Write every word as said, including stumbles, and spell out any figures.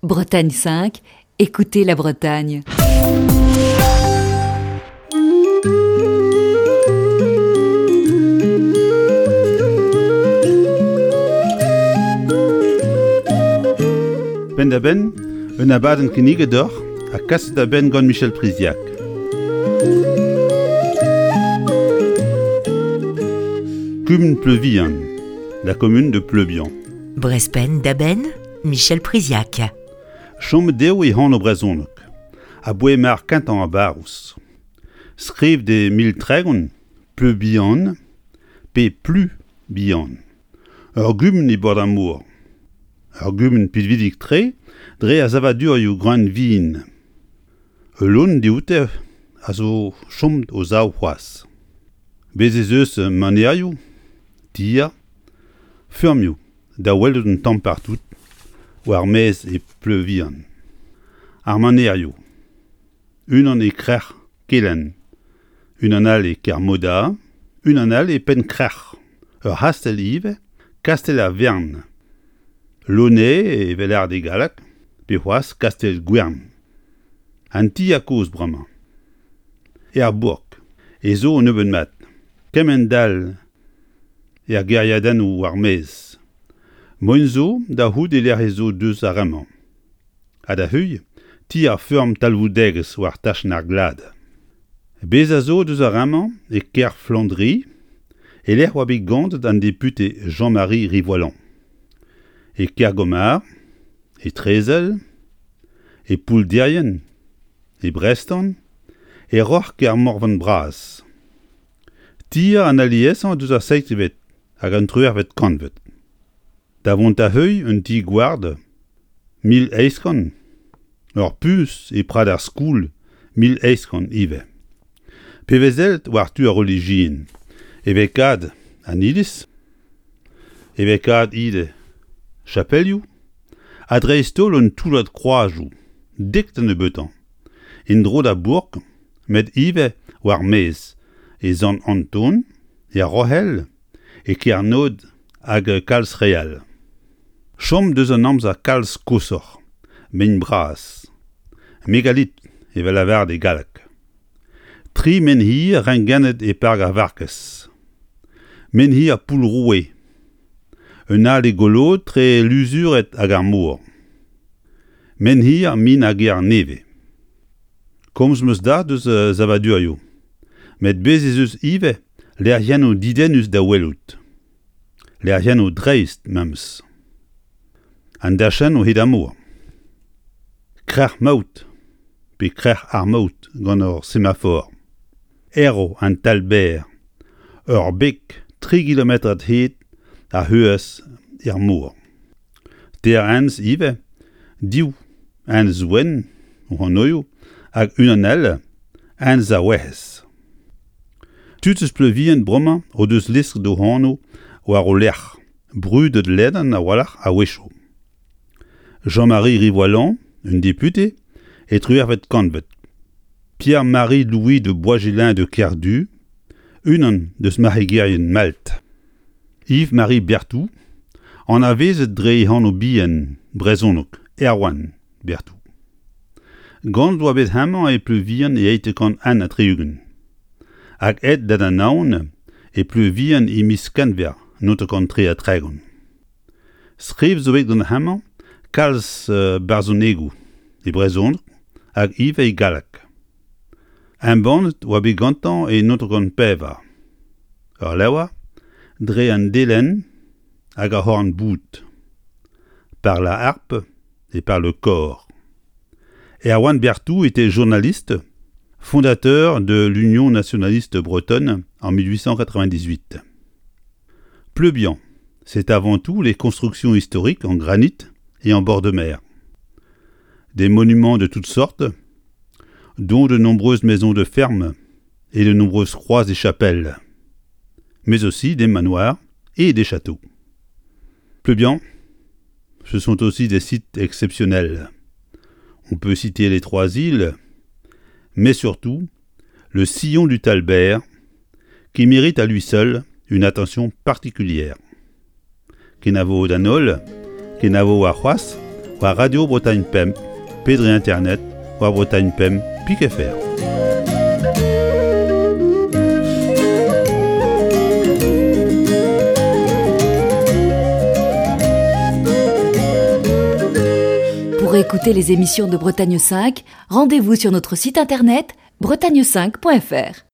Bretagne cinq, écoutez la Bretagne. Penn-da-benn, un abadenn kinniget deoc'h ha kaset da benn gant Michel Priziac. Kumun Pleuvihan, la commune de Pleubian. Brezh penn-da-benn, Michel Priziac. Chomet eo e anv brezhonek, aboae mar kentañ ar barrouz. Skrivet e mil tregont, Pleubian, pe Plu Bihan. Ur gumun e bord ar mor. Ur gumun pinvidik-tre dre ar savadurioù greun vin. Ul lodenn dioute a zo chomet o sav c'hoazh. Bez' ez eus manerioù, tier, feurmioù da welout un tamm partout war maez e Pleuvihan. Ar manerioù. Unan e krec'h Kelenn, unan all e Kermoda, unan all e Penn-Krec'h. Ur c'hastell ivez, kastell ar Wern. Launay evel lâret e galleg, pe c'hoazh kastell Gwern. An tier kozh bremañ. Er bourk ez zo un nebeud mat. Kemend-all er gêriadennoù war maez. Moaien zo da c'hoût e lec'h ez zo deus ar re-mañ. Ha da heuilh, ti ar feurm talvoudegezh war tachenn ar glad. Bezañ zo deus ar re-mañ e kêr Flandri, e-lec'h oa bet ganet an depute Jean-Marie Rivoallan. E Kergomar, e Trezel, e Poulderian, e Brestan, e Roc'h Kermorvan Bras. Tier an aliesañ deus ar seizhvet hag an triwec'hvet kantved. Da vont da heuilh un ti-gward mil eizh kant, ur puñs e Prad ar Skoul mil eizh kant ivez. Pe vez sellet war tu ar relijion, e vez kad an iliz, e vez kad ivez chapelioù, ha dreist-holl un toullad kroazioù, dek da nebeutañ, en-dro da bourk, met ivez war maez, e Sant-Anton, er Roc'hell, e Kernod hag kalz re all. Chom deus an amzer kalz koshoc'h, mein bras. Megalit evel lavaret e galleg. Tri menhir rengennet e park ar Varkez. Menhir Poull-Roue. Un all e Golod tre Luzuret hag ar mor. Menhir min ar gêr nevez. Komz 'm eus da deus savadurioù. Met bez' ez eus ivez lec'hiennoù dedennus da welout. Lec'hiennoù dreist memes. An dachennoù hed ar mor. Krec'h Maout, pe Krec'h ar Maout gant ur semafor. Erv an Talber, ur beg tri kilometrad hed a c'heuez er mor. Teir enez ivez, div enez wenn o anvioù hag unan all, enez ar Werc'hez. Tud eus Pleuvihan bremañ o deus lesket o anv war o lerc'h, brudet ledan a-walc'h a-wechoù. Jean-Marie Rivoallan, un depute, e triwec'hvet kantved. Pierre-Marie Louis de Boisgelin de Kerdu, unan deus marc'hegerien Malt. Yves-Marie Berthou, anavezet dre e anv-bihan brezhonek Erwan Berthou. Ganet oa bet hemañ e Pleuvihan e eizh kant un ha tri-ugent. Hag aet da Anaon e Pleuvihan e miz Kenver naontek kant tri ha tregont. Skrivet zo bet gant hemañ kalz barzhonegoù e brezhoneg hag ivez e galleg. Embannet oa bet gantañ e naontek kant pevar. Ur levr dre an delenn hag ar c'horn-boud. Par la harpe et par le cor. Erwan Berthou était journaliste, fondateur de l'Union nationaliste bretonne en mille huit cent quatre-vingt-dix-huit. Pleubian, c'est avant tout les constructions historiques en granit et en bord de mer. Des monuments de toutes sortes, dont de nombreuses maisons de ferme et de nombreuses croix et chapelles, mais aussi des manoirs et des châteaux. Pleubian, ce sont aussi des sites exceptionnels. On peut citer les trois îles, mais surtout le sillon du Talbert, qui mérite à lui seul une attention particulière. Kenavo d'an holl, kenavo warc'hoazh, War Radio Bretagne Pemp, pe dre internet war Bretagne Pemp pik F R. Pour écouter les émissions de Bretagne cinq, rendez-vous sur notre site internet bretagne cinq point F R.